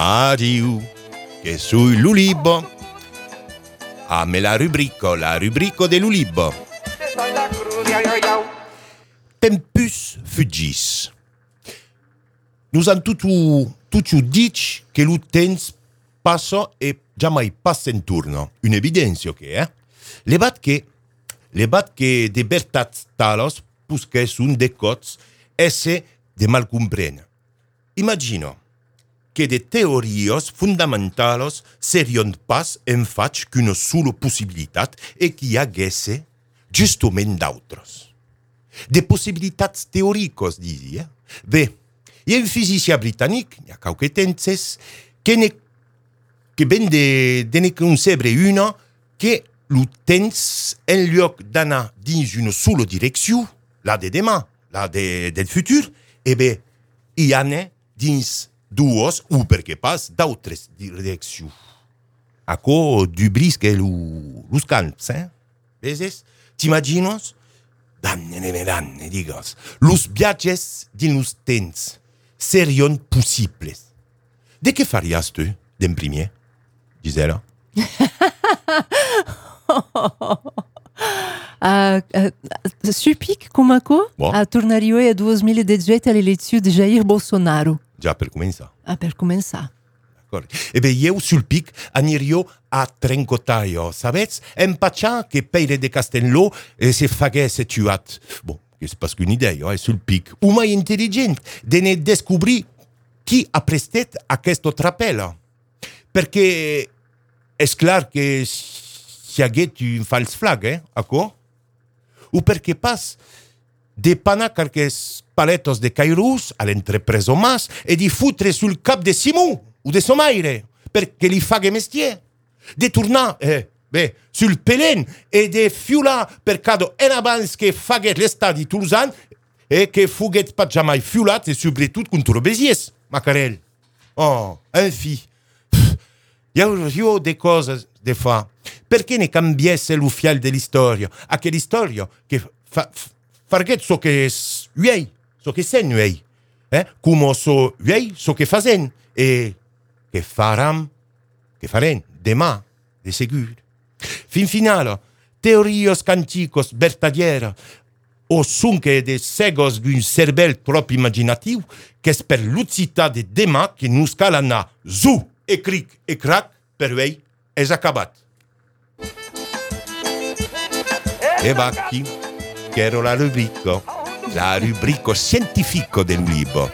Mario, che sui l'ulibo. Ah, me la rubrico dell'ulibo. Tempus fugis. Nous avons tout dit que le temps passe et jamais passe en turno. Une évidence, ok, eh? Le bat que de bertats talos, pusque sunt de cots, esse de mal comprene. Imagino que de teorios fundamentalos serion pas en faig qu'una sola possibilitat e qui haguesse justament d'autres. De possibilitats teoricos, disi, eh? Bé, hi ha un física britanic, hi ha qualque temps, que ben de ne concebre una que el temps, en lloc d'anar dins una sola direcció, la de demà, la del futur, e bé, hi ane dins dues o perquè pas d'altres direccions. Aco du brisque los camps, eh? Veses? T'imaginos? Danne, digues. Los viatges dins los temps serion possibles. De què faries tu, d'en primer, Gisela? Supic, com aco, tornaria a 2018 all'elezione di Jair Bolsonaro. Già per cominciare. Per cominciare. E beh, io sul pic anirio a Trencotaio, savets? Empaccia che Peire de Castelló se faguesse tuat. Bon, c'est parce qu'une idée, sul pic. O mai intelligent de ne descobrir qui ha prestat aquest trapel. Perquè és clar que si haguet un fals flag, aco? O perquè pas de panar quelques paletos de cairus a l'entrepreso mas e di foutre sul cap de Simon o de Somaire, perché li faghe mestier. De tornar, sul pelen e de fiular per cado en abans que faguet l'estadi toulousan e que fuguet pas jamais fiulat e sobretot contra Béziers, Macarel. Oh, enfi. Hi ha de coses de fa. Perché ne cambiesse lo fiel de l'istoria? A che l'istoria che farget so che uei, so che sen uei. Come so uei, so che fazen. E che faram, che faren, demà, de segur. Fin finale, teorios canticos vertadiera, o sunche de segos d'un cervel trop imaginatiu, qu'es per l'ucità de demà que nous cal anar zu e cric e crac per uei es acabat. E vacchi, che ero la rubrico scientifico del libro.